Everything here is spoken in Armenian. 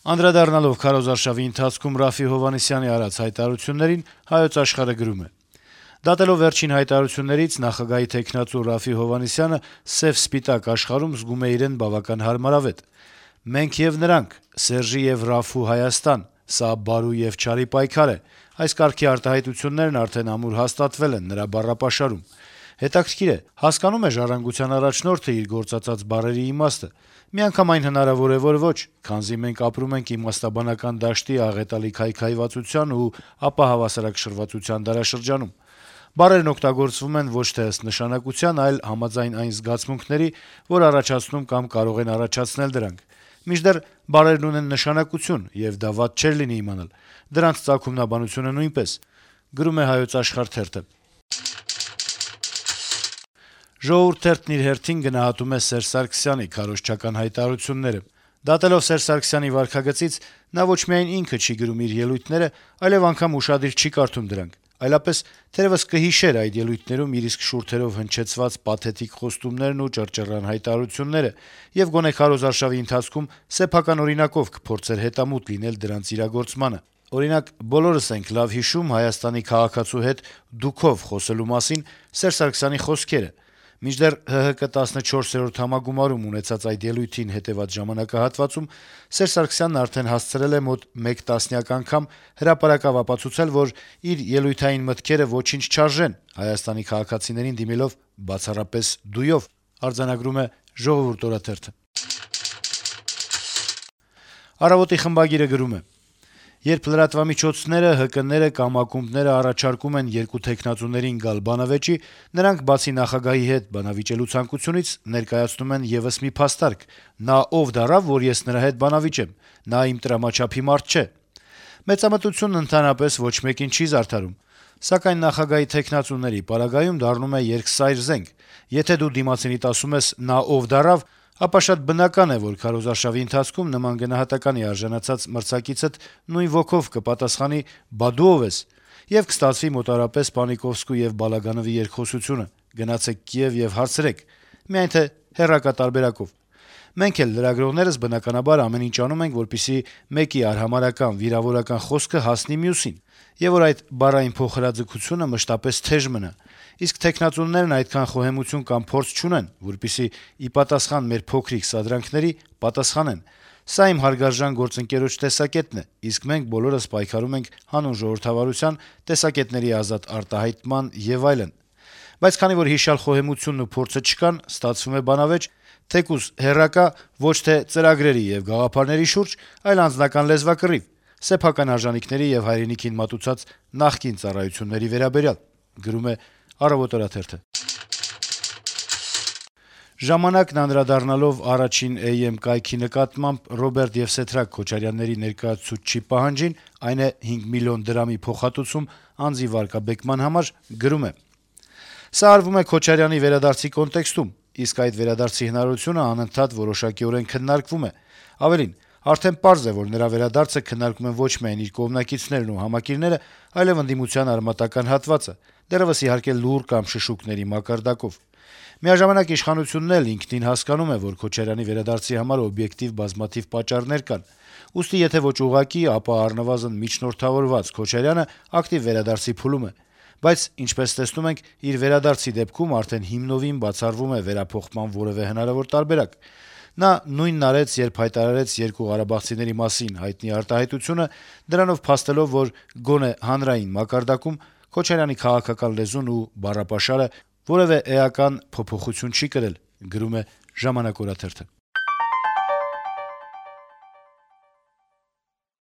Անդրադառնալով քարոզարշավի ընթացքում Րաֆֆի Հովհաննիսյանի արած հայտարարություններին, «Հայոց Աշխարհ»-ը գրում է. - «Դատելով վերջին հայտարարություններից, նախագահի թեկնածու Րաֆֆի Հովհաննիսյանը սեւ-սպիտակ աշխարհում զգում է իրեն բավական հարմարավետ։ «Մենք եւ նրանք», «Սերժի եւ Ռաֆֆու Հայաստան», «Սա բարու եւ չարի պայքար է» այս կարգի արտահայտություններն արդեն ամուր հաստատվել են նրա բառապաշարում։ Հետաքրքիր է, հասկանո՞ւմ է «Ժառանգության» առաջնորդը իր գործածած բառերի իմաստը։ Միանգամայն հնարավոր է, որ ոչ, քանզի մենք ապրում ենք իմաստաբանական դաշտի աղետալի քայքայվածության ու ապահավասարակշռվածության դարաշրջանում։ Բառերն օգտագործվում են ոչ թե ըստ նշանակության, այլ համաձայն այն զգացմունքների, որ առաջացնում կամ կարող են առաջացնել դրանք։ Մինչդեռ բառերն ունեն նշանակություն, եւ դա վատ չէր լինի իմանալ։ Դրանց ծագումնաբանությունը նույնպես»։ «Ժողովուրդ» թերթն իր հերթին գնահատում է Սերժ Սարգսյանի քարոզչական հայտարարությունները։ Դատելով Սերժ Սարգսյանի վարքագծից, նա ոչ միայն ինքը չի գրում իր ելույթները, այլեւ անգամ ուշադիր չի կարդում դրանք, այլապես թերեւս կհիշեր այդ ելույթներում իր իսկ շուրթերով հնչեցված պաթետիկ խոստումներն ու ճռճռան հայտարարությունները եւ գոնե քարոզարշավի ընթացքում սեփական օրինակով կփորձեր հետամուտ լինել դրանց իրագործմանը։ Օրինակ, բոլորս ենք լավ հիշում Հայաստանի քաղաքացու հետ «դուքով» խոսելու մասին Սերժ Սարգսյանի խոսքերը։ Մինչդեռ ՀՀԿ 14-րդ համագումարում ունեցած այդ ելույթին հետեւած ժամանակահատվածում Սերժ Սարգսյանն արդեն հասցրել է մոտ 1 տասնյակ անգամ հրապարակավ ապացուցել, որ իր ելույթային մտքերը ոչինչ չարժեն Հայաստանի քաղաքացիներին դիմելով բացառապես «դույով»։ «Ժողովուրդ» օրաթերթը։ «Առավոտ»-ի խմբագիրը գրում է. - «Երբ լրատվամիջոցները, ՀԿ-ները կամ ակումբները առաջարկում են երկու թեկնածուներին գալ բանավեճի, նրանք բացի նախագահի հետ բանավիճելու ցանկությունից ներկայացնում են եւս մի փաստարկ. նա ով դառավ, որ ես նրա հետ բանավիճեմ, նա իմ տրամաչափի մարդ չէ։ Մեծամտությունն ընդհանրապես ոչ մեկին չի զարդարում, սակայն նախագահի թեկնածուների պարագայում դառնում է երկսայր զենք։ Եթե դու դիմացինիդ ասում ես «նա ով դառավ», ապա շատ բնական է, որ քարոզարշավի ընթացքում նման գնահատականի արժանացած մրցակիցդ նույն ոգով կպատասխանի «բա դու ով ես» եւ կստացվի մոտարապես Պանիկովսկու եւ Բալագանովի երկխոսությունը՝ «գնացեք Կիև եւ հարցրեք», միայն թե հեռակա տարբերակով։ Մենք էլ լրագրողներս բնականաբար ամեն ինչ անում ենք, որպեսզի մեկի արհամարհական, վիրավորական խոսքը հասնի մյուսին, եւ որ այդ բառային փոխհրաձգությունը մշտապես թեժ մնա։ Իսկ թեկնածուներն այդքան խոհեմություն կամ փորձ չունեն, որպեսզի ի պատասխան մեր փոքրիկ սադրանքների պատասխանեն։ Սա իմ հարգարժան գործընկերոջ տեսակետն է, իսկ մենք բոլորս պայքարում ենք հանուն ժողովրդավարության, տեսակետների ազատ արտահայտման եւ այլն։ Բայց քանի որ հիշյալ խոհեմությունն ու փորձը չկան, ստացվում է բանավեճ, թեկուզ հեռակա, ոչ թե ծրագրերի եւ գաղափարների շուրջ, այլ անձնական լեզվակռիվ, սեփական արժանինքների եւ հայրենիքին մատուցած նախկին ծառայությունների վերաբերյալ»։ «Ժամանակ»-ն անդրադառնալով առաջին EM կայքի նկատմամբ Ռոբերտ Եվսեթրակ Քոչարյանների ներկայացուցչի պահանջին, այն է 5 միլիոն դրամի փոխհատուցում անձի վարկաբեկման համար, գրում է. - «Սա արվում է Քոչարյանի վերադարձի կոնտեքստում, իսկ այդ վերադարձի հնարավորությունը անընդհատ որոշակիորեն քննարկվում է։ Ավելին, արդեն պարզ է, որ նրա վերադարձը քննարկում են ոչ միայն իր կողմնակիցներն ու համակիրները, այլեւ ընդդիմության արմատական հատվածը, դեռեւս իհարկե լուռ կամ շշուկների մակարդակով։ Միաժամանակ իշխանությունն էլ ինքնին հասկանում է, որ Քոչարյանի վերադարձի համար օբյեկտիվ բազմաթիվ պատճառներ կան։ Ուստի եթե ոչ ուղղակի, ապա առնվազն միջնորդավորված Քոչարյանը ակտիվ վերադարձի փուլում է։ Բայց, ինչպես տեսնում ենք, իր վերադարձի դեպքում արդեն հիմնովին բացառվում է վերափոխման որեւէ հնարավոր տարբերակ։ Նա նույնն արեց, երբ հայտարարեց երկու ղարաբաղցիների մասին հայտնի արտահայտությունը, դրանով փաստելով, որ գոնե հանրային մակարդակում Քոչարյանի քաղաքական լեզուն ու բառապաշարը որեւէ էական փոփոխություն չի կրել»։